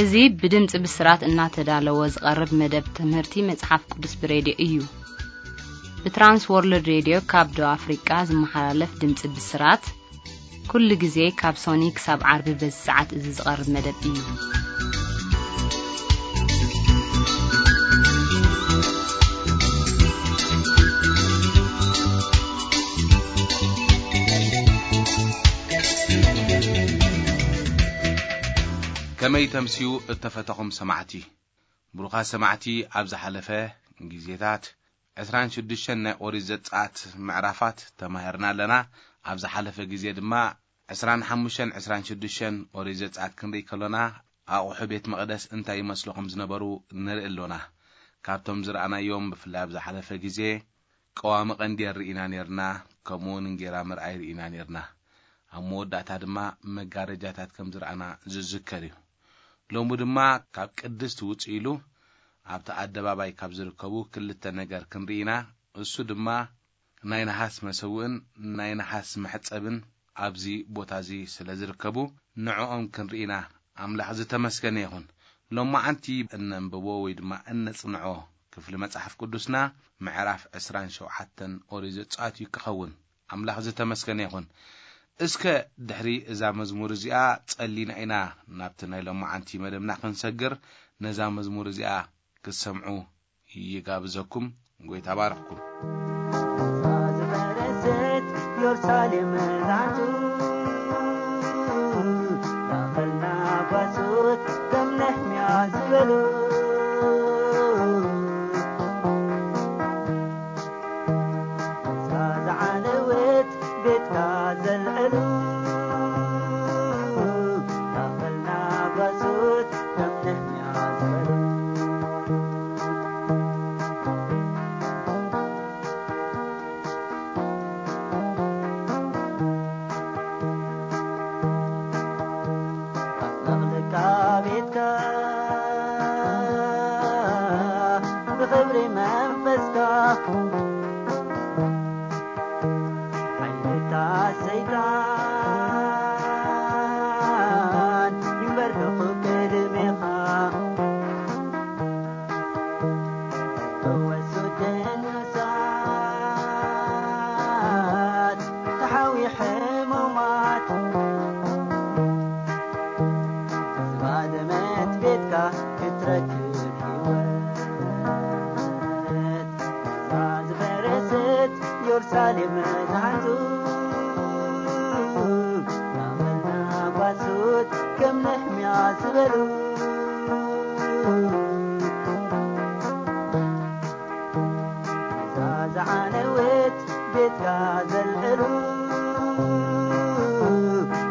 እዚ ብድምፂ ብስራት እናተዳለወ ዝቐርብ መደብ ትምህርቲ መጽሓፍ ቅዱስ ብሬድዮ እዩ። ብትራንስ ወርልድ ሬድዮ ካብ ደቡብ ኣፍሪቃ ዝመሓላለፍ ድምፂ ብስራት፣ ኩሉ ግዜ ካብ ሶኒ ክሳብ ዓርቢ በዚ ሰዓት እዚ ዝቐርብ መደብ እዩ። ከመይ ተምስዩ እተፈተኹም ሰማዕቲ? ብሩኻት ሰማዕቲ፣ ኣብ ዝሓለፈ ግዜታት ዕስራን ሽዱሽተን ናይ ኦሪት ዘጸኣት ምዕራፋት ተማሂርና ኣለና። ኣብ ዝሓለፈ ግዜ ድማ ዕስራን ሓሙሽተን ዕስራን ሽዱሽተን ኦሪት ዘጸኣት ክንርኢ ከሎና፣ ኣቑሑ ቤት መቕደስ እንታይ ይመስሉ ከም ዝነበሩ ንርኢ ኣሎና። ካብቶም ዝረኣናዮም፣ ብፍላይ ኣብ ዝሓለፈ ግዜ፣ ቀዋሚ ቀንዴል ርኢና ኔርና፣ ከምኡ እውን እንጌራ ምርኣይ ርኢና ኔርና። ኣብ መወዳእታ ድማ መጋረጃታት ከም ዝረኣና ዝዝከር እዩ። ሎሚ ድማ ካብ ቅድስት ውጽእ ኢሉ ኣብቲ ኣደባባይ ካብ ዝርከቡ ክልተ ነገር ክንርኢ ኢና። እሱ ድማ ናይ ነሓስ መሰውእን ናይ ነሓስ መሕጸብን ኣብዚ ቦታ እዚ ስለ ዝርከቡ፣ ንዕኦም ክንርኢ ኢና። ኣምላኽ ዝተመስገነ ይኹን። ሎማዓንቲ እነንብቦ ወይ ድማ እነጽንዖ ክፍሊ መጽሓፍ ቅዱስና ምዕራፍ ዕስራን ሸውዓተን ኦሪት ዘጸኣት እዩ ክኸውን። ኣምላኽ ዝተመስገነ ይኹን። እስከ ድሕሪ እዛ መዝሙር እዚኣ ጸሊና ኢና ናብቲ ናይ ሎማዓንቲ መደብና ክንሰግር። ነዛ መዝሙር እዚኣ ክትሰምዑ ይጋብዘኩም። ጎይታ ባርኽኩም። ዝፈረሰት ኢየሩሳሌም ዛንቱ፣ ማእኸልና ጓሶት ከም ነህምያ ዝበሉ፣ እዛ ዝዓነወት ቤትካ ዘልዕሉ፣ ማእኸልና ጓሶት ከም ነህምያ ዝበሉ። ኣጥለቕልቃ ቤትካ ብኽብሪ መንፈስካ፣ ሓይልታት ሰይጣን ይንበርከኹ ቅድሜኻ። ፈወሱ ቅዱሳት ተሓዊ ሕሙማት፣ ዝባደመት ቤትካ ክትረክብ ህይወት። እዛ ዝፈረሰት ኢየሩሳሌም ዛንቱ፣ ኣመልና ጓሶት ከም ነህምያ ዝበሉ፣ እዛ ዝዓነወት ቤትካ ዘልዕሉ፣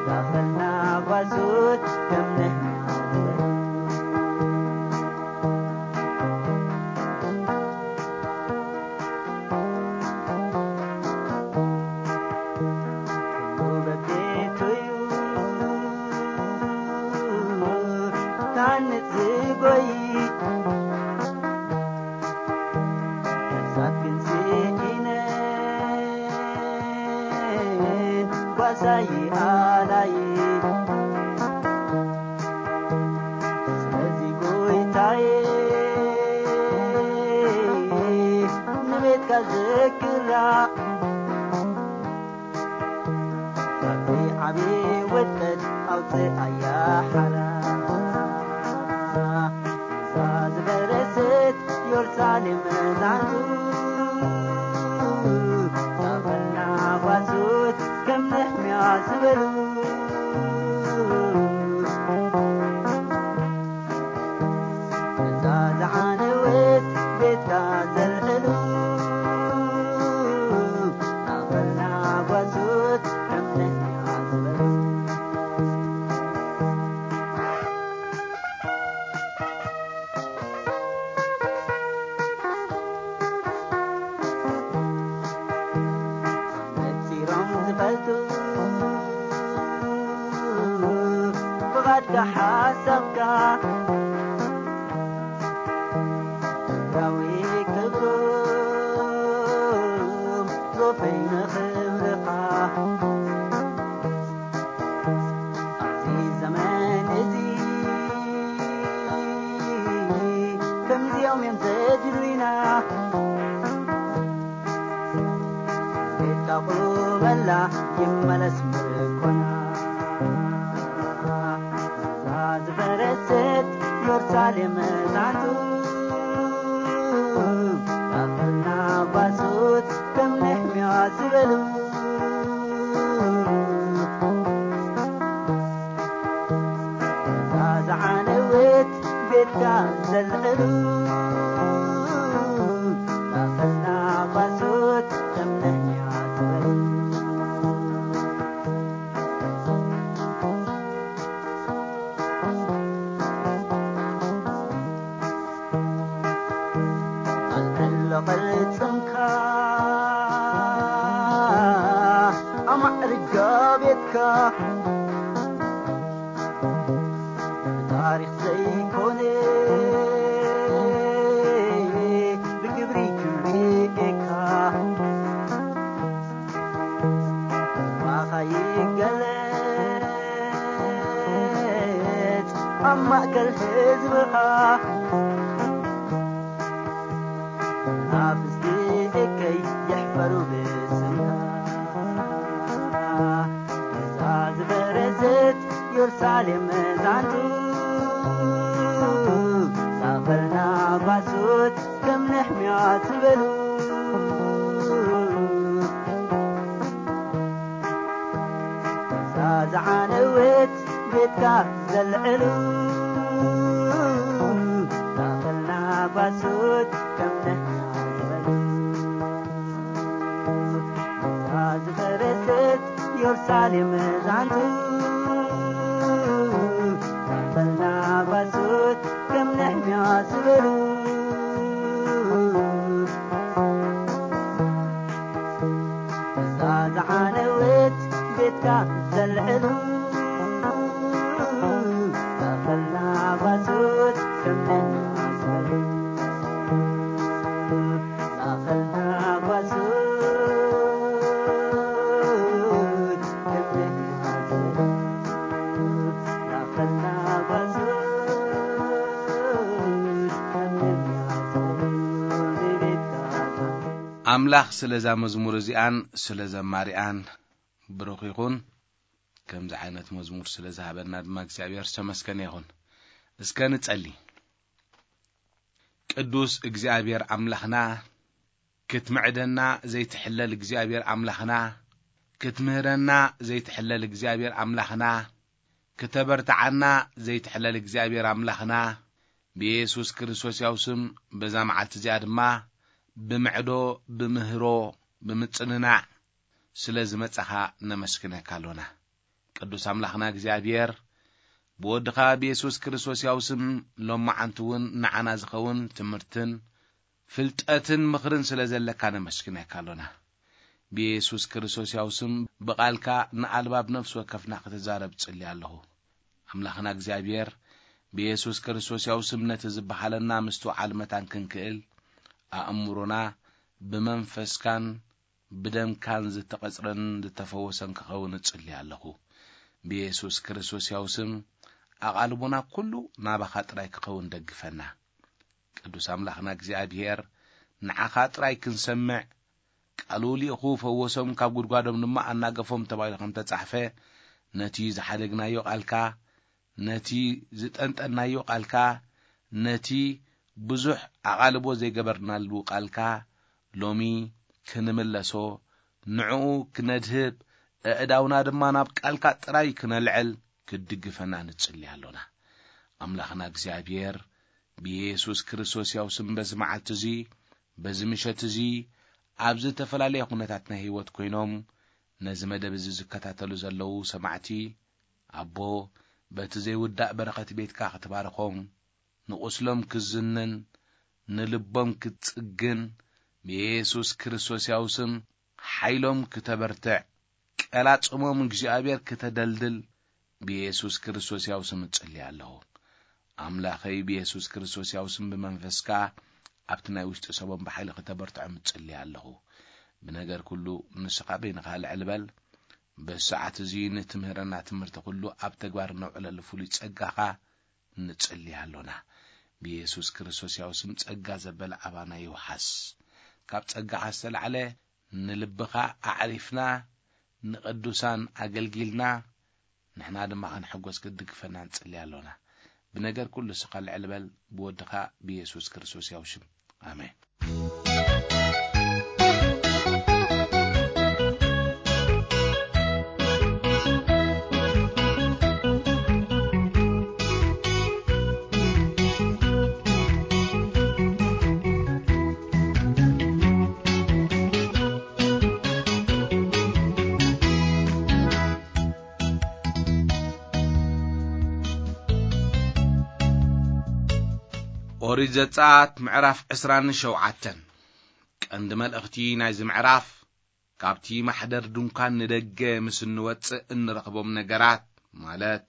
ማእኸልና ጓሶት ከም ነህምያ ዝበሉ። ኩሉ በቤቱ እዩ ክሃንጽ ዝጎይ፣ ነፍሳት ግን ስኢነን ጓሳይ ኣላይ። ስለዚ ጎይታዬ ንቤትካ ዘክራ፣ ካብዚ ዓቢ ውድቀት ኣውጽኣያ ሓራ። እዛ ዝፈረሰት ኢየሩሳሌም ዛንቱ፣ ሳበልና ጓሶት ከም ነህምያ ዝበሉ፣ እዛ ዝዓነወት ቤትካ ዘልዕሉ፣ ኣኸልና ጓሶት ከም ነህምያ ዝበሉ። ነጺሮም ዝፈልጡ ፍቓድካ ሓሳብካ፣ ምድራዊ ክብሮም ዞፈይ ንኽብርኻ። ኣብዚ ዘመን እዚ መለስ ምርኮና እዛ ዝፈረሰት ኢየሩሳሌም ዛንቱ ዳፈና ጓሶት ከም ነሕምያ ዝበሉ እዛ ዝዓነወት ቤትካ ዘልዕሉ ዳፈና ጓሶት ከም ነሕምያ ዝበሉ ኣልዕሎ ቅርጽንካ ኣማዕርጋ ቤትካ ብታሪኽ ዘይኮነ ብግብሪ ክብሪ ጌካ ባኻ ይገለጽ ኣብ ማእከል ህዝብኻ ናፍስቲ እከይ ይሕፈሩ ብስምካ እዛ ዝበረዘት ኢየሩሳሌም ዛንቱ ዛኸልና ጓሶት ከም ነሕምያ ዝበሉ እዛ ዝዓነወት ቤትካ ዘልዕሉ ዛኸልና ጓሶት ከም ነሕምያ ዝበሉ እዛ ዝፈረሰት ኢየሩሳሌም ዛንቱ ዛኸልና ጓሶት ከም ነሕምያ ዝበሉ እዛ ዝዓነወት ቤትካ ዘልዕሉ ዛኸልና ጓሶት ከም ነሕምያ ዝበሉ ዛኸልና ጓሶት ከም ነሕምያ ዝበሉ ዛኸልና ጓሶት ከም ነሕምያ ዝበሉ ንቤትካ ኣምላኽ ስለዛ መዝሙር እዚኣን ስለ ዘማሪኣን ብሩኽ ይኹን። ከምዚ ዓይነት መዝሙር ስለ ዝሃበና ድማ እግዚኣብሔር ዝተመስገነ ይኹን። እስከ ንጸሊ። ቅዱስ እግዚኣብሔር ኣምላኽና፣ ክትምዕደና ዘይትሕለል እግዚኣብሔር ኣምላኽና፣ ክትምህረና ዘይትሕለል እግዚኣብሔር ኣምላኽና፣ ክተበርትዓና ዘይትሕለል እግዚኣብሔር ኣምላኽና፣ ብየሱስ ክርስቶስ ያው ስም በዛ መዓልቲ እዚኣ ድማ ብምዕዶ፣ ብምህሮ፣ ብምጽንናዕ ስለ ዝመጻኻ ነመስግነካ ኣሎና። ቅዱስ ኣምላኽና እግዚኣብሔር፣ ብወድኻ ብየሱስ ክርስቶስ ያው ስም ሎማዓንቲ እውን ንዓና ዝኸውን ትምህርትን ፍልጠትን ምኽርን ስለ ዘለካ ነመስግነካ ኣሎና። ብየሱስ ክርስቶስ ያው ስም ብቓልካ ንኣልባብ ነፍሲ ወከፍና ክትዛረብ ጽሊ ኣለኹ። ኣምላኽና እግዚኣብሔር፣ ብየሱስ ክርስቶስ ያው ስም ነቲ ዝበሃለና ምስትውዓል መታን ክንክእል፣ ኣእምሮና ብመንፈስካን ብደምካን ዝተቐጽረን ዝተፈወሰን ክኸውን እጽሊ ኣለኹ። ብየሱስ ክርስቶስ ያው ስም ኣቓልቦና ኩሉ ናባኻ ጥራይ ክኸውን ደግፈና። ቅዱስ ኣምላኽና እግዚኣብሔር፣ ንዓኻ ጥራይ ክንሰምዕ፣ ቃሉ ልኢኹ ፈወሶም፣ ካብ ጉድጓዶም ድማ ኣናገፎም ተባሂሉ ከም ተጻሕፈ፣ ነቲ ዝሓደግናዮ ቃልካ፣ ነቲ ዝጠንጠናዮ ቃልካ፣ ነቲ ብዙሕ ኣቓልቦ ዘይገበርናሉ ቃልካ፣ ሎሚ ክንምለሶ፣ ንዕኡ ክነድህብ፣ ኣእዳውና ድማ ናብ ቃልካ ጥራይ ክነልዕል፣ ክትድግፈና ንጽሊ ኣሎና። ኣምላኽና እግዚኣብሔር፣ ብየሱስ ክርስቶስ ያው ስም በዚ መዓልቲ እዚ፣ በዚ ምሸት እዚ፣ ኣብ ዝተፈላለየ ኩነታት ናይ ህይወት ኮይኖም፣ ነዚ መደብ እዚ ዝከታተሉ ዘለዉ ሰማዕቲ፣ ኣቦ፣ በቲ ዘይውዳእ በረኸት ቤትካ ክትባርኾም፣ ንቑስሎም ክዝንን፣ ንልቦም ክትጽግን፣ ብየሱስ ክርስቶስ ያው ስም ሓይሎም ክተበርትዕ፣ ቀላጽሞም እግዚኣብሔር ክተደልድል፣ ብየሱስ ክርስቶስ ያው ስም እጽሊ ኣለኹ። ኣምላኸይ፣ ብየሱስ ክርስቶስ ያው ስም ብመንፈስካ ኣብቲ ናይ ውሽጢ ሰቦም ብሓይሊ ክተበርትዖም እጽሊ ኣለኹ። ብነገር ኩሉ ንስኻ በይንኻ ልዕል በል። በዚ ሰዓት እዚ ንትምህረና ትምህርቲ ኩሉ ኣብ ተግባር ነውዕለሉ ፍሉይ ጸጋኻ ንጽሊ ኣሎና። ብየሱስ ክርስቶስ ያው ስም ጸጋ ዘበለ ኣባና ይውሓስ። ካብ ጸጋኻ ዝተላዕለ ንልብኻ ኣዕሪፍና ንቅዱሳን ኣገልጊልና ንሕና ድማ ክንሕጎስ ክትድግፈና ንጽሊ ኣሎና። ብነገር ኩሉ ስኻ ልዕል በል፣ ብወድኻ ብየሱስ ክርስቶስ ያው ሽም። ኣሜን። ኦሪት ዘጸኣት ምዕራፍ ዕስራን ሸውዓተን። ቀንዲ መልእኽቲ ናይዚ ምዕራፍ፣ ካብቲ ማሕደር ድንኳን ንደገ ምስ እንወጽእ እንረኽቦም ነገራት፣ ማለት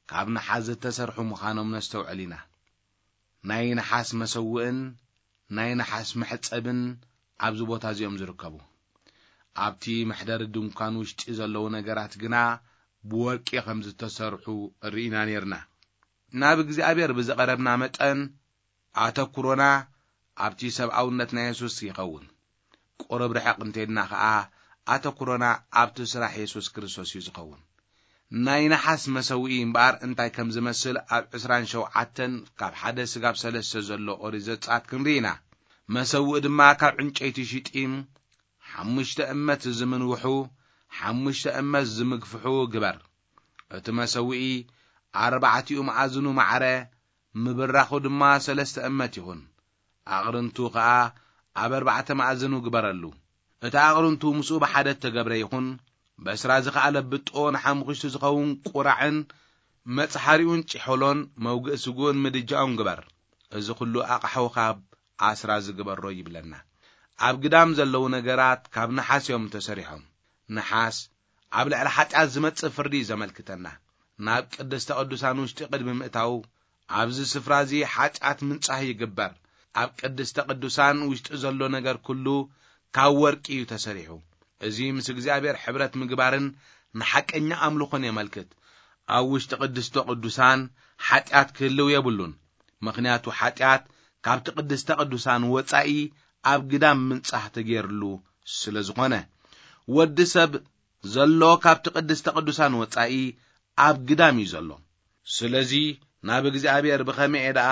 ካብ ነሓስ ዝተሰርሑ ምዃኖም ነስተውዕል ኢና። ናይ ነሓስ መሰውእን ናይ ነሓስ መሕጸብን ኣብዚ ቦታ እዚኦም ዝርከቡ። ኣብቲ መሕደሪ ድንኳን ውሽጢ ዘለዉ ነገራት ግና ብወርቂ ከም ዝተሰርሑ ርኢና ኔርና። ናብ እግዚኣብሔር ብዝቐረብና መጠን፣ ኣተኩሮና ኣብቲ ሰብኣውነት ናይ የሱስ ይኸውን። ቁሩብ ርሕቕ እንተኢልና ኸኣ፣ ኣተኩሮና ኣብቲ ስራሕ የሱስ ክርስቶስ እዩ ዝኸውን። ናይ ነሓስ መሰውኢ እምበኣር እንታይ ከም ዝመስል ኣብ ዕስራን ሸውዓተን ካብ ሓደ ስጋብ ሰለስተ ዘሎ ኦሪት ዘጸኣት ክንርኢ ኢና። መሰውኢ ድማ ካብ ዕንጨይቲ ሽጢም፣ ሓሙሽተ እመት ዝምንውሑ፣ ሓሙሽተ እመት ዝምግፍሑ ግበር። እቲ መሰውኢ ኣርባዕቲኡ መኣዝኑ ማዕረ፣ ምብራኹ ድማ ሰለስተ እመት ይኹን። ኣቕርንቱ ኸኣ ኣብ ኣርባዕተ መኣዝኑ ግበረሉ። እቲ ኣቕርንቱ ምስኡ ብሓደ እተገብረ ይኹን፣ በስራ ዝኸኣለ ብጦ ንሓሙኽሽቲ ዝኸውን ቁራዕን መጽሓሪኡን ጭሖሎን መውግእ ስግኡን ምድጃኡን ግበር። እዚ ኹሉ ኣቕሓ ካብ ኣስራ ዝግበሮ ይብለና። ኣብ ግዳም ዘለዉ ነገራት ካብ ነሓስ እዮም ተሰሪሖም። ነሓስ ኣብ ልዕሊ ሓጢኣት ዝመጽእ ፍርዲ እዩ ዘመልክተና። ናብ ቅድስተ ቅዱሳን ውሽጢ ቅድሚ ምእታው፣ ኣብዚ ስፍራ እዚ ሓጢኣት ምንጻህ ይግበር። ኣብ ቅድስተ ቅዱሳን ውሽጢ ዘሎ ነገር ኩሉ ካብ ወርቂ እዩ ተሰሪሑ። እዚ ምስ እግዚኣብሔር ሕብረት ምግባርን ንሓቀኛ ኣምልኾን የመልክት። ኣብ ውሽጢ ቅድስተ ቅዱሳን ሓጢኣት ክህልው የብሉን። ምኽንያቱ ሓጢኣት ካብቲ ቅድስተ ቅዱሳን ወጻኢ ኣብ ግዳም ምንጻህ ተገይርሉ ስለ ዝኾነ። ወዲ ሰብ ዘሎ ካብቲ ቅድስተ ቅዱሳን ወጻኢ ኣብ ግዳም እዩ ዘሎ። ስለዚ ናብ እግዚኣብሔር ብኸመይ ደኣ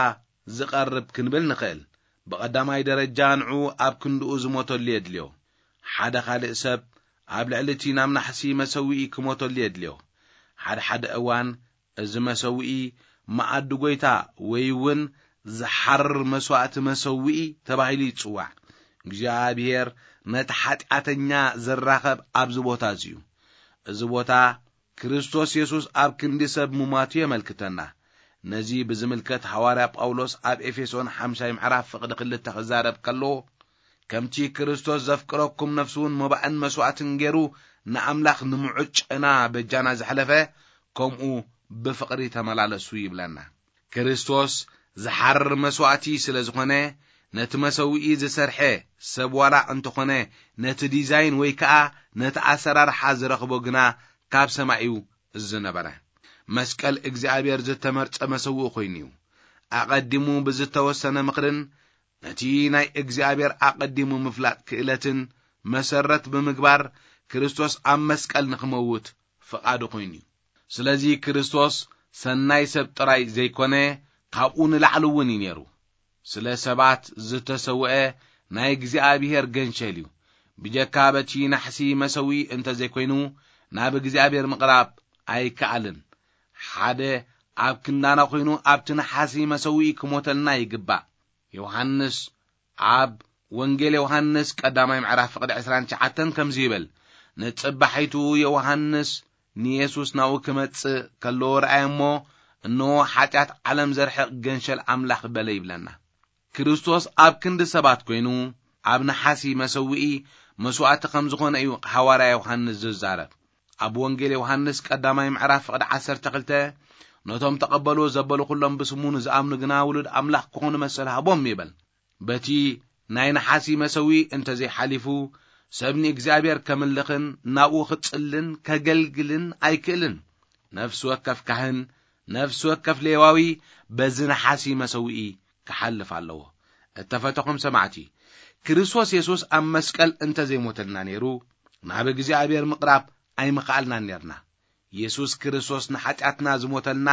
ዝቐርብ ክንብል ንኽእል? ብቐዳማይ ደረጃ ንዑ ኣብ ክንድኡ ዝሞተሉ የድልዮ። ሓደ ካልእ ሰብ ኣብ ልዕሊ እቲ ናብ ናሕሲ መሰውኢ ክሞተሉ የድልዮ። ሓደ ሓደ እዋን እዚ መሰውኢ መኣዲ ጐይታ ወይ እውን ዝሓርር መስዋእቲ መሰውኢ ተባሂሉ ይጽዋዕ። እግዚኣብሔር ነቲ ሓጢኣተኛ ዝራኸብ ኣብዚ ቦታ እዚ እዩ። እዚ ቦታ ክርስቶስ የሱስ ኣብ ክንዲ ሰብ ምማቱ የመልክተና። ነዚ ብዝምልከት ሃዋርያ ጳውሎስ ኣብ ኤፌሶን ሓምሻይ ምዕራፍ ፍቕዲ ክልተ ክዛረብ ከሎ፣ ከምቲ ክርስቶስ ዘፍቅረኩም ነፍሱ እውን መባእን መስዋእትን ገይሩ ንኣምላኽ ንምዑጨና በጃና ዘሕለፈ፣ ከምኡ ብፍቕሪ ተመላለሱ ይብለና። ክርስቶስ ዝሓርር መስዋእቲ ስለ ዝኾነ፣ ነቲ መሰውኢ ዝሰርሐ ሰብ ዋላ እንተኾነ ነቲ ዲዛይን ወይ ከኣ ነቲ ኣሰራርሓ ዝረኽቦ ግና ካብ ሰማይ እዩ ዝነበረ። መስቀል እግዚኣብሔር ዝተመርጸ መሰውኢ ኮይኑ እዩ። ኣቐዲሙ ብዝተወሰነ ምኽርን ነቲ ናይ እግዚኣብሔር ኣቐዲሙ ምፍላጥ ክእለትን መሰረት ብምግባር ክርስቶስ ኣብ መስቀል ንኽመውት ፍቓዱ ኮይኑ እዩ። ስለዚ ክርስቶስ ሰናይ ሰብ ጥራይ ዘይኮነ፣ ካብኡ ንላዕሊ እውን እዩ ነይሩ። ስለ ሰባት ዝተሰውአ ናይ እግዚኣብሔር ገንሸል እዩ። ብጀካ በቲ ናሕሲ መሰውኢ እንተ ዘይኮይኑ ናብ እግዚኣብሔር ምቕራብ ኣይከኣልን። ሓደ ኣብ ክንዳና ኮይኑ ኣብቲ ነሓሲ መሰውኢ ክሞተልና ይግባእ። ዮሃንስ ኣብ ወንጌል ዮሃንስ ቀዳማይ ምዕራፍ ፍቕዲ ዕስራን ትሽዓተን ከምዚ ይብል፣ ንጽባሒቱ ዮሃንስ ንየሱስ ናብኡ ክመጽእ ከሎ ረኣየ እሞ፣ እንሆ ሓጢኣት ዓለም ዘርሕቕ ገንሸል ኣምላኽ በለ ይብለና። ክርስቶስ ኣብ ክንዲ ሰባት ኮይኑ ኣብ ነሓሲ መሰውኢ መስዋእቲ ከም ዝኾነ እዩ ሃዋርያ ዮሃንስ ዝዛረብ። ኣብ ወንጌል ዮሃንስ ቀዳማይ ምዕራፍ ፍቕዲ ዓሰርተ ክልተ፣ ነቶም ተቐበልዎ ዘበሉ ኩሎም ብስሙ ንዝኣምኑ ግና ውሉድ ኣምላኽ ክኾኑ መሰል ሃቦም ይብል። በቲ ናይ ነሓሲ መሰውኢ እንተ ዘይሓሊፉ፣ ሰብ ንእግዚኣብሔር ከምልኽን ናብኡ ክጽልን ከገልግልን ኣይክእልን። ነፍሲ ወከፍ ካህን፣ ነፍሲ ወከፍ ሌዋዊ በዚ ነሓሲ መሰውኢ ክሓልፍ ኣለዎ። እተፈተኹም ሰማዕቲ፣ ክርስቶስ የሱስ ኣብ መስቀል እንተ ዘይሞተልና ነይሩ፣ ናብ እግዚኣብሔር ምቕራብ ኣይምኸኣልናን ኔርና። የሱስ ክርስቶስ ንሓጢኣትና ዝሞተልና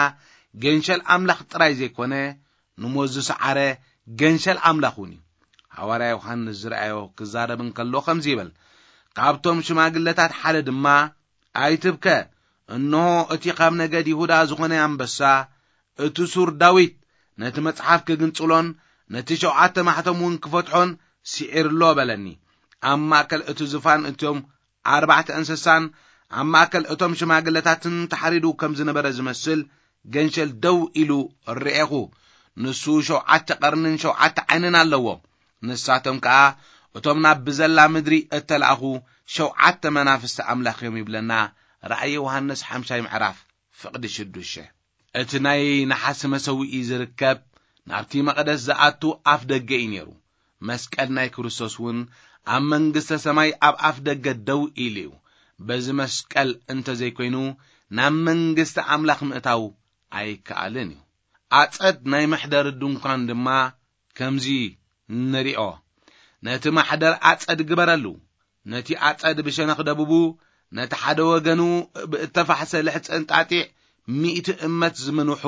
ገንሸል ኣምላኽ ጥራይ ዘይኮነ፣ ንሞት ዝሰዓረ ገንሸል ኣምላኽ እውን እዩ። ሃዋርያ ዮሃንስ ዝረኣዮ ክዛረብ እንከሎ ከምዚ ይብል፣ ካብቶም ሽማግለታት ሓደ ድማ፣ "ኣይትብከ፣ እንሆ እቲ ካብ ነገድ ይሁዳ ዝኾነ ኣንበሳ፣ እቲ ሱር ዳዊት፣ ነቲ መጽሓፍ ክግንጽሎን ነቲ ሸውዓተ ማሕተም እውን ክፈትሖን ስዒርሎ በለኒ። ኣብ ማእከል እቲ ዝፋን እቶም ኣርባዕተ እንስሳን ኣብ ማእከል እቶም ሽማግለታትን ተሓሪዱ ከም ዝነበረ ዝመስል ገንሸል ደው ኢሉ ርኤኹ። ንሱ ሸውዓተ ቀርንን ሸውዓተ ዓይንን ኣለዎ። ንሳቶም ከኣ እቶም ናብ ብዘላ ምድሪ እተላእኹ ሸውዓተ መናፍስቲ ኣምላኽ እዮም" ይብለና ራእይ ዮሃንስ ሓምሻይ ምዕራፍ ፍቕዲ ሽዱሽተ። እቲ ናይ ነሓስ መሰውኢ ዝርከብ ናብቲ መቕደስ ዝኣቱ ኣፍ ደገ እዩ ነይሩ። መስቀል ናይ ክርስቶስ እውን ኣብ መንግስተ ሰማይ ኣብ ኣፍ ደገ ደው ኢሉ እዩ። በዚ መስቀል እንተዘይኮይኑ ናብ መንግስቲ ኣምላኽ ምእታው ኣይከኣልን እዩ። ኣጸድ ናይ መሕደሪ ድንኳን ድማ ከምዚ ንሪኦ፣ "ነቲ ማሕደር ኣጸድ ግበረሉ፣ ነቲ ኣጸድ ብሸነኽ ደቡቡ፣ ነቲ ሓደ ወገኑ ብእተፋሕሰ ልሕጺ እንጣጢዕ ሚእቲ እመት ዝምንውሑ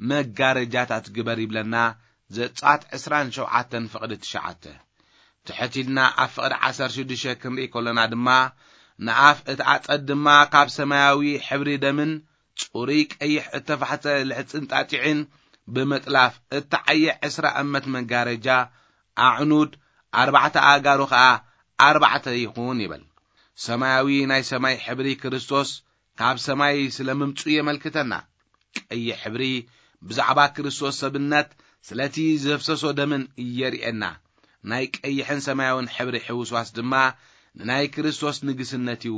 መጋረጃታት ግበር" ይብለና ዘጸኣት ዕስራን ሸውዓተን ፍቕዲ ትሽዓተ። ትሕት ኢልና ኣብ ፍቕዲ ዓሰርተ ሽዱሽተ ክንርኢ ከሎና ድማ፣ ንኣፍ እቲ ኣጸድ ድማ ካብ ሰማያዊ ሕብሪ ደምን ጽሩይ ቀይሕ እተፋሕሰ ልሕጽንጣጢዕን ብምጥላፍ እተዓየ ዕስራ እመት መጋረጃ፣ ኣዕኑድ ኣርባዕተ ኣእጋሩ ኸኣ ኣርባዕተ ይኹን ይብል። ሰማያዊ ናይ ሰማይ ሕብሪ ክርስቶስ ካብ ሰማይ ስለ ምምጹ የመልክተና። ቀይሕ ሕብሪ ብዛዕባ ክርስቶስ ሰብነት ስለቲ ዘፍሰሶ ደምን የርእየና። ናይ ቀይሕን ሰማያውን ሕብሪ ሕውስዋስ ድማ ንናይ ክርስቶስ ንግስነት እዩ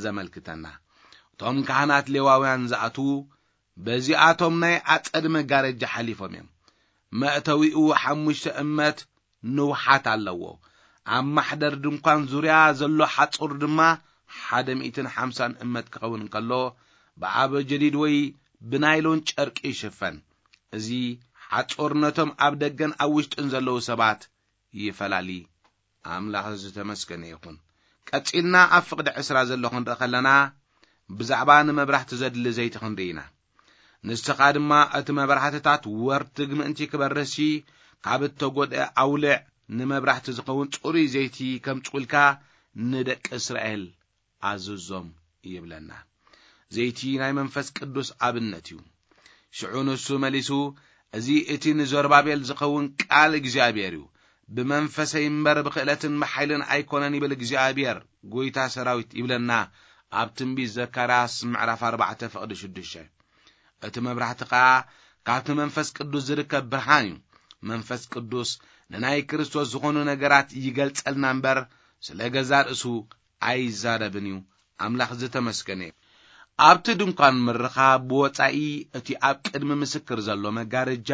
ዘመልክተና። እቶም ካህናት ሌዋውያን ዝኣትዉ በዚኣቶም ናይ ኣጸድ መጋረጃ ሓሊፎም እዮም። መእተዊኡ ሓሙሽተ እመት ንውሓት ኣለዎ። ኣብ ማሕደር ድንኳን ዙርያ ዘሎ ሓጹር ድማ ሓደ ሚእትን ሓምሳን እመት ክኸውን እንከሎ፣ ብኣበ ጀዲድ ወይ ብናይሎን ጨርቂ ይሽፈን። እዚ ሓጹር ነቶም ኣብ ደገን ኣብ ውሽጥን ዘለዉ ሰባት ይፈላሊ። ኣምላኽ ዝተመስገነ ይኹን። ቀጺልና ኣብ ፍቕዲ ዕስራ ዘሎ ክንርኢ ከለና፣ ብዛዕባ ንመብራህቲ ዘድሊ ዘይቲ ክንርኢ ኢና። ንስኻ ድማ እቲ መብራህትታት ወርትግ ምእንቲ ክበርህሲ፣ ካብ እተጎድአ ኣውልዕ፣ ንመብራህቲ ዝኸውን ጽሩይ ዘይቲ ከምጽኡልካ ንደቂ እስራኤል ኣዝዞም ይብለና። ዘይቲ ናይ መንፈስ ቅዱስ ኣብነት እዩ። ሽዑ ንሱ መሊሱ፣ "እዚ እቲ ንዘሩባቤል ዝኸውን ቃል እግዚኣብሔር እዩ። ብመንፈሰይ እምበር ብኽእለትን ብሓይልን ኣይኮነን ይብል እግዚኣብሔር፣ ጐይታ ሰራዊት" ይብለና ኣብ ትንቢት ዘካርያስ ምዕራፍ ኣርባዕተ ፍቕዲ ሽዱሽተ። እቲ መብራህቲ ኸኣ ካብቲ መንፈስ ቅዱስ ዝርከብ ብርሃን እዩ። መንፈስ ቅዱስ ንናይ ክርስቶስ ዝኾኑ ነገራት ይገልጸልና እምበር፣ ስለ ገዛ ርእሱ ኣይዛረብን እዩ። ኣምላኽ ዝተመስገነ እዩ። ኣብቲ ድንኳን ምርኻብ ብወጻኢ እቲ ኣብ ቅድሚ ምስክር ዘሎ መጋረጃ፣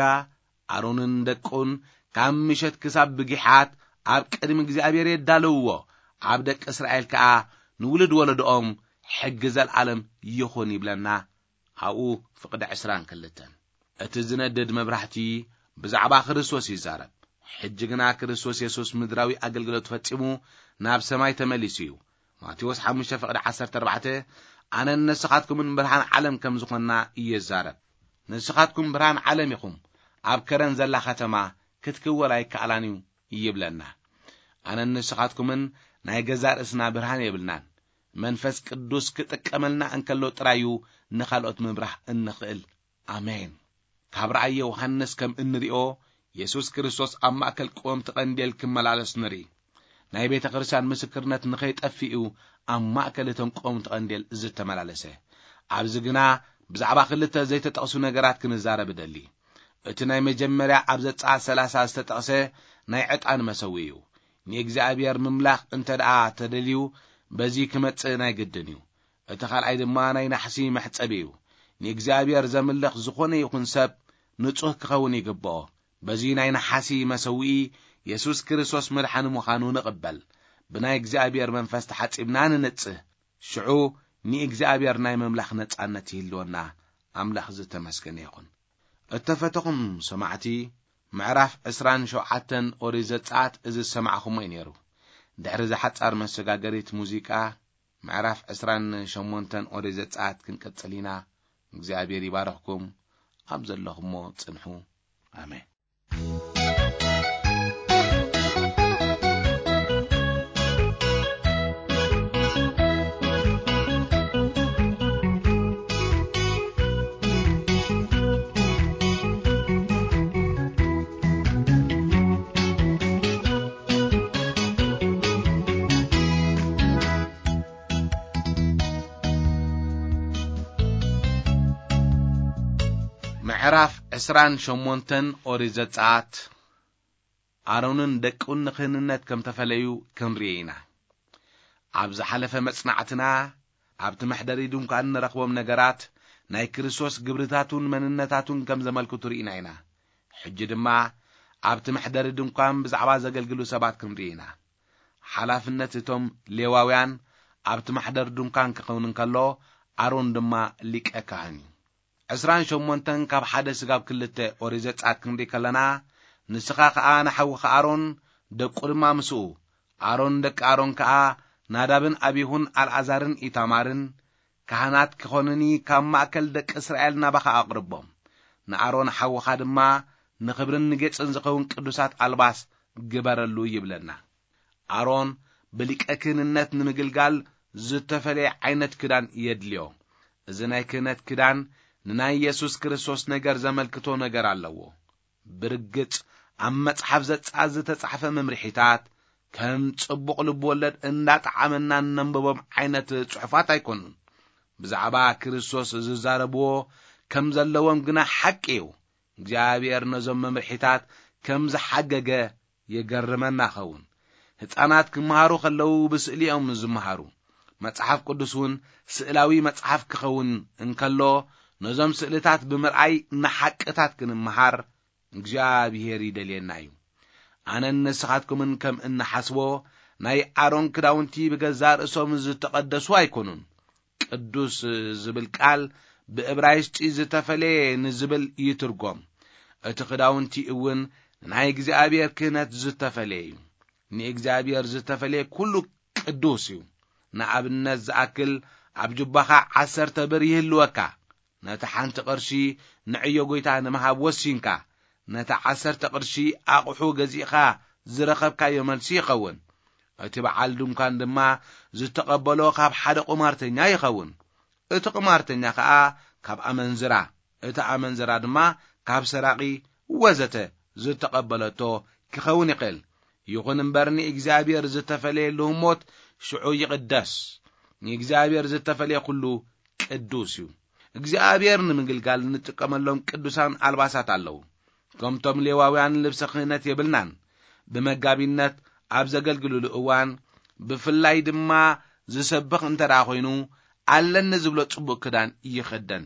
ኣሮንን ደቁን ካብ ምሸት ክሳብ ብጊሓት ኣብ ቅድሚ እግዚኣብሔር የዳልውዎ። ኣብ ደቂ እስራኤል ከኣ ንውሉድ ወለዶኦም ሕጊ ዘለኣለም ይኹን ይብለና ኣብኡ ፍቕዲ ዕስራን ክልተን። እቲ ዝነድድ መብራህቲ ብዛዕባ ክርስቶስ ይዛረብ። ሕጂ ግና ክርስቶስ የሱስ ምድራዊ ኣገልግሎት ፈጺሙ ናብ ሰማይ ተመሊሱ እዩ። ማቴዎስ ሓሙሽተ ፍቕዲ ዓሰርተ ኣርባዕተ፣ "ኣነን ንስኻትኩምን ብርሃን ዓለም ከም ዝኾንና ይዛረብ። ንስኻትኩም ብርሃን ዓለም ኢኹም። ኣብ ከረን ዘላ ከተማ ክትክወል ኣይከኣላን እዩ" ይብለና። ኣነን ንስኻትኩምን ናይ ገዛእ ርእስና ብርሃን የብልናን። መንፈስ ቅዱስ ክጥቀመልና እንከሎ ጥራይ እዩ ንኻልኦት ምብራህ እንኽእል። ኣሜን። ካብ ራእይ ዮሃንስ ከም እንሪኦ፣ የሱስ ክርስቶስ ኣብ ማእከል ቀወምቲ ቀንዴል ክመላለስ ንርኢ። ናይ ቤተ ክርስቲያን ምስክርነት ንኸይጠፍእ እዩ ኣብ ማእከል እቶም ቀወምቲ ቀንዴል ዝተመላለሰ። ኣብዚ ግና ብዛዕባ ክልተ ዘይተጠቕሱ ነገራት ክንዛረብ እደሊ። እቲ ናይ መጀመርያ ኣብ ዘጸኣት ሰላሳ ዝተጠቕሰ ናይ ዕጣን መሰዊ እዩ። ንእግዚኣብሔር ምምላኽ እንተ ደኣ ተደልዩ፣ በዚ ክመጽእ ናይ ግድን እዩ። እቲ ካልኣይ ድማ ናይ ናሕሲ መሕጸቢ እዩ። ንእግዚኣብሔር ዘምልኽ ዝኾነ ይኹን ሰብ ንጹህ ክኸውን ይግብኦ። በዚ ናይ ነሓሲ መሰውኢ የሱስ ክርስቶስ መድሓኒ ምዃኑ ንቕበል። ብናይ እግዚኣብሔር መንፈስ ተሓጺብና ንንጽህ። ሽዑ ንእግዚኣብሔር ናይ ምምላኽ ነጻነት ይህልወና። ኣምላኽ ዝተመስገነ ይኹን። እተፈተኹም ሰማዕቲ፣ ምዕራፍ ዕስራን ሸውዓተን ኦሪት ዘጸኣት እዚ ዝሰማዕኹሞ እዩ ነይሩ። ድሕሪ እዛ ሓጻር መሰጋገሪት ሙዚቃ፣ ምዕራፍ ዕስራን ሸሞንተን ኦሪት ዘጸኣት ክንቅጽል ኢና። እግዚኣብሔር ይባርኽኩም። ኣብ ዘለኹሞ ጽንሑ። ኣሜን። ምዕራፍ ዕስራን ሸሞንተን ኦሪት ዘጸኣት። ኣሮንን ደቁን ንክህንነት ከም ተፈለዩ ክንርኢ ኢና። ኣብ ዝሓለፈ መጽናዕትና፣ ኣብቲ መሕደሪ ድንኳን እንረኽቦም ነገራት ናይ ክርስቶስ ግብርታቱን መንነታቱን ከም ዘመልክቱ ርኢና ኢና። ሕጂ ድማ ኣብቲ መሕደሪ ድንኳን ብዛዕባ ዘገልግሉ ሰባት ክንርኢ ኢና። ሓላፍነት እቶም ሌዋውያን ኣብቲ መሕደሪ ድንኳን ክኸውን እንከሎ፣ ኣሮን ድማ ሊቀ ካህን እዩ። ዕስራን ሸሞንተን ካብ ሓደ ስጋብ ክልተ ኦሪት ዘጸኣት ክንርኢ ከለና፣ ንስኻ ኸኣ ንሓውኻ ኣሮን፣ ደቁ ድማ ምስኡ፣ ኣሮን ደቂ ኣሮን ከኣ ናዳብን ኣቢሁን ኣልኣዛርን ኢታማርን ካህናት ክኾኑኒ ካብ ማእከል ደቂ እስራኤል ናባኻ ኣቕርቦም። ንኣሮን ሓውኻ ድማ ንኽብርን ንጌጽን ዝኸውን ቅዱሳት ኣልባስ ግበረሉ ይብለና። ኣሮን ብሊቀ ክህንነት ንምግልጋል ዝተፈለየ ዓይነት ክዳን የድልዮ። እዚ ናይ ክህነት ክዳን ንናይ የሱስ ክርስቶስ ነገር ዘመልክቶ ነገር ኣለዎ። ብርግጽ ኣብ መጽሓፍ ዘጸኣት ዝተጻሕፈ መምርሒታት ከም ጽቡቕ ልብ ወለድ እንዳጠዓመና እነንብቦም ዓይነት ጽሑፋት ኣይኮኑን። ብዛዕባ ክርስቶስ ዝዛረብዎ ከም ዘለዎም ግና ሓቂ እዩ። እግዚኣብሔር ነዞም መምርሒታት ከም ዝሓገገ የገርመና ኸውን። ህጻናት ክመሃሩ ከለዉ ብስእሊ እዮም ዝመሃሩ። መጽሓፍ ቅዱስ እውን ስእላዊ መጽሓፍ ክኸውን እንከሎ፣ ነዞም ስእልታት ብምርኣይ ንሓቅታት ክንመሃር እግዚኣብሔር ይደልየና እዩ። ኣነን ንስኻትኩምን ከም እንሓስቦ፣ ናይ ኣሮን ክዳውንቲ ብገዛእ ርእሶም ዝተቐደሱ ኣይኮኑን። ቅዱስ ዝብል ቃል ብእብራይስጢ ዝተፈለየ ንዝብል ይትርጎም። እቲ ክዳውንቲ እውን ናይ እግዚኣብሔር ክህነት ዝተፈለየ እዩ። ንእግዚኣብሔር ዝተፈለየ ኩሉ ቅዱስ እዩ። ንኣብነት ዝኣክል፣ ኣብ ጁባኻ ዓሰርተ ብር ይህልወካ። ነቲ ሓንቲ ቅርሺ ንዕዮ ጐይታ ንምሃብ ወሲንካ፣ ነታ ዓሰርተ ቅርሺ ኣቕሑ ገዚእኻ ዝረኸብካዮ መልሲ ይኸውን። እቲ በዓል ድንኳን ድማ ዝተቐበሎ ካብ ሓደ ቁማርተኛ ይኸውን። እቲ ቁማርተኛ ኸኣ ካብ ኣመንዝራ፣ እቲ ኣመንዝራ ድማ ካብ ሰራቒ ወዘተ ዝተቐበለቶ ክኸውን ይኽእል። ይኹን እምበር ንእግዚኣብሔር ዝተፈለየ ልህሞት ሽዑ ይቕደስ። ንእግዚኣብሔር ዝተፈለየ ኩሉ ቅዱስ እዩ። እግዚኣብሔር ንምግልጋል እንጥቀመሎም ቅዱሳን ኣልባሳት ኣለዉ። ከምቶም ሌዋውያን ልብሰ ክህነት የብልናን። ብመጋቢነት ኣብ ዘገልግሉሉ እዋን፣ ብፍላይ ድማ ዝሰብኽ እንተ ደኣ ኾይኑ፣ ኣለኒ ዝብሎ ጽቡቕ ክዳን ይኽደን።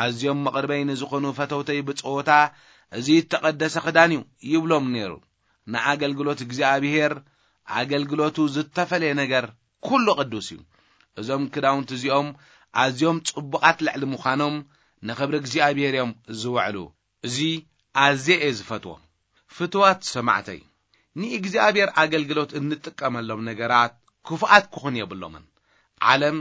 ኣዝዮም መቕርበይ ንዝኾኑ ፈተውተይ ብጸወታ፣ "እዚ እተቐደሰ ክዳን እዩ" ይብሎም ነይሩ። ንኣገልግሎት እግዚኣብሔር ኣገልግሎቱ ዝተፈለየ ነገር ኩሉ ቅዱስ እዩ። እዞም ክዳውንቲ እዚኦም ኣዝዮም ጽቡቓት ልዕሊ ምዃኖም፣ ንኽብሪ እግዚኣብሔር እዮም ዝውዕሉ። እዚ ኣዝየ እየ ዝፈትዎ። ፍቱዋት ሰማዕተይ፣ ንእግዚኣብሔር ኣገልግሎት እንጥቀመሎም ነገራት ክፉኣት ክኾኑ የብሎምን። ዓለም፣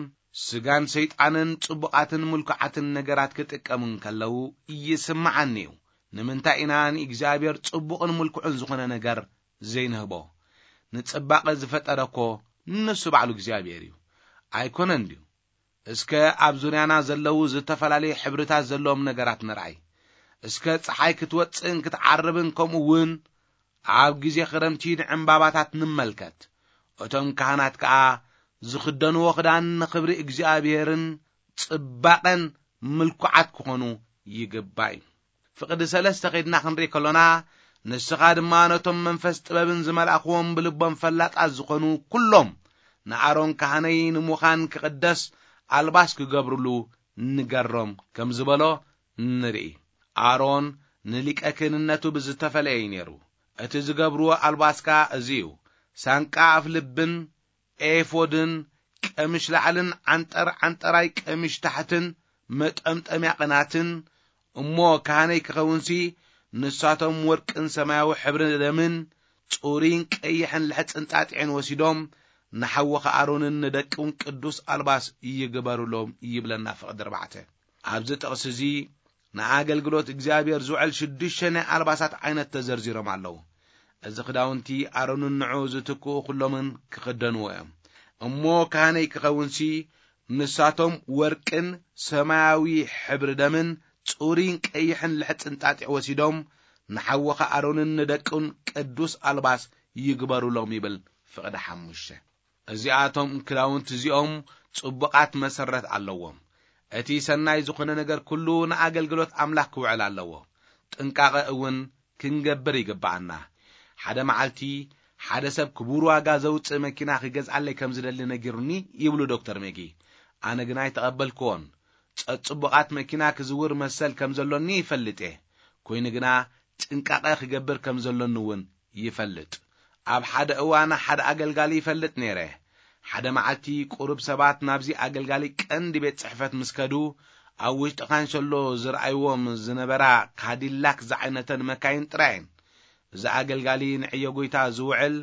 ስጋን ሰይጣንን ጽቡቓትን ምልኩዓትን ነገራት ክጥቀሙ እንከለዉ ይስምዓኒ እዩ። ንምንታይ ኢና ንእግዚኣብሔር ጽቡቕን ምልኩዕን ዝኾነ ነገር ዘይንህቦ? ንጽባቐ ዝፈጠረ እኮ ንሱ ባዕሉ እግዚኣብሔር እዩ። ኣይኮነን ድዩ? እስከ ኣብ ዙርያና ዘለዉ ዝተፈላለዩ ሕብርታት ዘለዎም ነገራት ንርኣይ። እስከ ጸሓይ ክትወጽእን ክትዓርብን፣ ከምኡ እውን ኣብ ግዜ ክረምቲ ንዕምባባታት ንመልከት። እቶም ካህናት ከኣ ዝኽደንዎ ክዳን ንኽብሪ እግዚኣብሔርን ጽባቐን ምልኩዓት ክኾኑ ይግባእ እዩ። ፍቕዲ ሰለስተ ኸይድና ክንርኢ ከሎና፣ ንስኻ ድማ ነቶም መንፈስ ጥበብን ዝመልኣኽዎም ብልቦም ፈላጣት ዝኾኑ ኩሎም ንኣሮን ካህነይ ንምዃን ክቕደስ ኣልባስ ክገብሩሉ ንገሮም ከም ዝበሎ ንርኢ። ኣሮን ንሊቀ ክህንነቱ ብዝተፈለየ እዩ ነይሩ። እቲ ዝገብርዎ ኣልባስ ከኣ እዚ እዩ፣ ሳንቃ ኣፍ ልብን ኤፎድን፣ ቀሚሽ ላዕልን ዓንጠር ዓንጠራይ ቀሚሽ ታሕትን፣ መጠምጠምያ ቅናትን፣ እሞ ካህነይ ክኸውንሲ፣ ንሳቶም ወርቅን ሰማያዊ ሕብሪ ደምን፣ ጽሩይን ቀይሕን ልሕጽን ጣጢዕን ወሲዶም፣ ንሓወኻ ኣሮንን ንደቁን ቅዱስ ኣልባስ ይግበሩሎም ይብለና ፍቕዲ ኣርባዕተ። ኣብዚ ጥቕሲ እዚ ንኣገልግሎት እግዚኣብሔር ዝውዕል ሽዱሽተ ናይ ኣልባሳት ዓይነት ተዘርዚሮም ኣለዉ። እዚ ክዳውንቲ ኣሮንን ንዑ ዝትክኡ ኩሎምን ክኽደንዎ እዮም። እሞ ካህነይ ክኸውንሲ ንሳቶም ወርቅን ሰማያዊ ሕብሪ ደምን ጽሩይን ቀይሕን ልሕጽን ጣጢዕ ወሲዶም ንሓወኻ ኣሮንን ንደቁን ቅዱስ ኣልባስ ይግበሩሎም ይብል ፍቕዲ ሓሙሽተ። እዚኣቶም ክዳውንቲ እዚኦም ጽቡቓት መሰረት ኣለዎም። እቲ ሰናይ ዝኾነ ነገር ኩሉ ንኣገልግሎት ኣምላኽ ክውዕል ኣለዎ። ጥንቃቐ እውን ክንገብር ይግብኣና። ሓደ መዓልቲ ሓደ ሰብ ክቡር ዋጋ ዘውጽእ መኪና ክገዝኣለይ ከም ዝደሊ ነጊሩኒ ይብሉ ዶክተር ሜጊ። ኣነ ግና ኣይተቐበልክዎን። ጸጽቡቓት መኪና ክዝውር መሰል ከም ዘሎኒ ይፈልጥ እየ። ኮይኑ ግና ጥንቃቐ ክገብር ከም ዘሎኒ እውን ይፈልጥ። ኣብ ሓደ እዋን ሓደ ኣገልጋሊ ይፈልጥ ነይረ። ሓደ መዓልቲ ቁሩብ ሰባት ናብዚ ኣገልጋሊ ቀንዲ ቤት ጽሕፈት ምስ ከዱ፣ ኣብ ውሽጢ ካንሸሎ ዝረኣይዎም ዝነበራ ካዲላክ ዝዓይነተን መካይን ጥራይ እየን። እዚ ኣገልጋሊ ንዕዮ ጎይታ ዝውዕል፣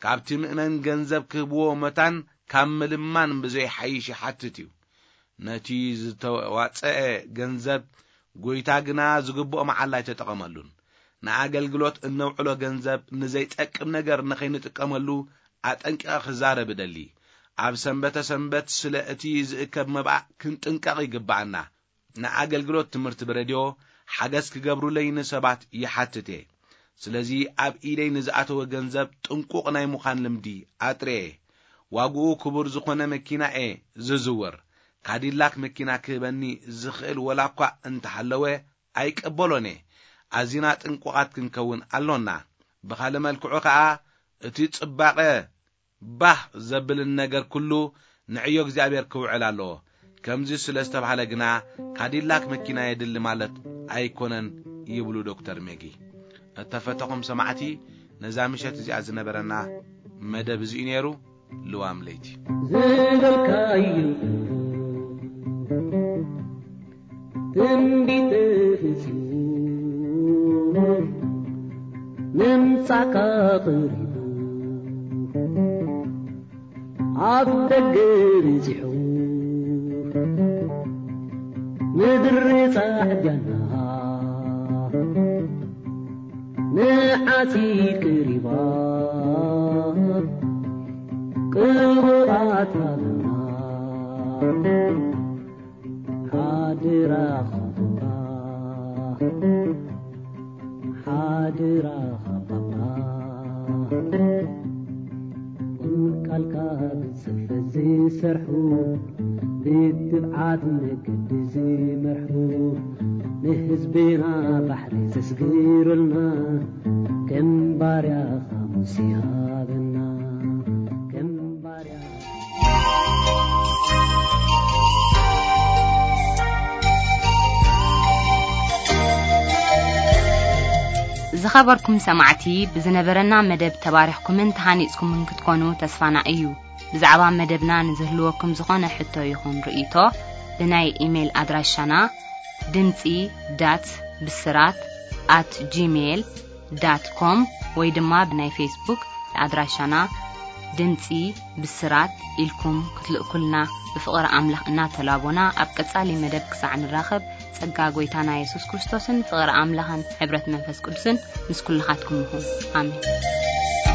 ካብቲ ምእመን ገንዘብ ክህብዎ መታን ካብ ምልማን ብዘይሓይሽ ይሓትት እዩ። ነቲ ዝተዋጸአ ገንዘብ ጎይታ ግና ዝግብኦ መዓላ ኣይተጠቐመሉን። ንኣገልግሎት እነውዕሎ ገንዘብ ንዘይጠቅም ነገር ንኸይንጥቀመሉ ኣጠንቂቐ ክዛረብ እደሊ። ኣብ ሰንበተ ሰንበት ስለ እቲ ዝእከብ መባእ ክንጥንቀቕ ይግብኣና። ንኣገልግሎት ትምህርቲ ብሬድዮ ሓገዝ ክገብሩለይ ንሰባት ይሓትት እየ። ስለዚ ኣብ ኢደይ ንዝኣተወ ገንዘብ ጥንቁቕ ናይ ምዃን ልምዲ ኣጥርየ እየ። ዋግኡ ክቡር ዝኾነ መኪና እየ ዝዝውር። ካዲላክ መኪና ክህበኒ ዝኽእል ወላ እኳ እንተሃለወ ኣይቀበሎን እየ። ኣዚና ጥንቁቓት ክንከውን ኣሎና። ብኻልእ መልክዑ ኸኣ እቲ ጽባቐ ባህ ዘብልን ነገር ኩሉ ንዕዮ እግዚኣብሔር ክውዕል ኣለዎ። ከምዚ ስለ ዝተባህለ ግና ካዲላክ መኪና የድሊ ማለት ኣይኮነን ይብሉ ዶክተር ሜጊ። እተፈተኹም ሰማዕቲ፣ ነዛ ምሸት እዚኣ ዝነበረና መደብ እዚ እዩ ነይሩ። ልዋም ለይቲ ዝበልካዩ ትንቢት ፍጹም ምምጻእካ ቀሪቡ ኣብ ደገ በጺሑ ምድሪ ጻዕዳና ንዓቲ ቀሪባ ቅቡኣት ሃበና። ሓድራኻ ባባ፣ ሓድራኻ ባባ፣ ቁም ቃልካ ብጽፈት ዝሰርሑ፣ ብትብዓት መገዲ ዝመርሑ፣ ንህዝብና ባሕሪ ዘስግሩልና፣ ከም ባርያኻ ሙሴ ሃበና፣ ከም ባርያ ዝኸበርኩም ሰማዕቲ፣ ብዝነበረና መደብ ተባሪኽኩምን ተሃኒጽኩምን ክትኮኑ ተስፋና እዩ። ብዛዕባ መደብና ንዝህልወኩም ዝኾነ ሕቶ ይኹን ርእይቶ፣ ብናይ ኢሜይል ኣድራሻና ድምጺ ዳት ብስራት ኣት ጂሜይል ዳት ኮም ወይ ድማ ብናይ ፌስቡክ ኣድራሻና ድምጺ ብስራት ኢልኩም ክትልእኩልና ብፍቕሪ ኣምላኽ እናተላቦና፣ ኣብ ቀጻሊ መደብ ክሳዕ ንራኸብ፣ ጸጋ ጐይታና የሱስ ክርስቶስን ፍቕሪ ኣምላኽን ሕብረት መንፈስ ቅዱስን ምስ ኩልኻትኩም ይኹን። ኣሜን።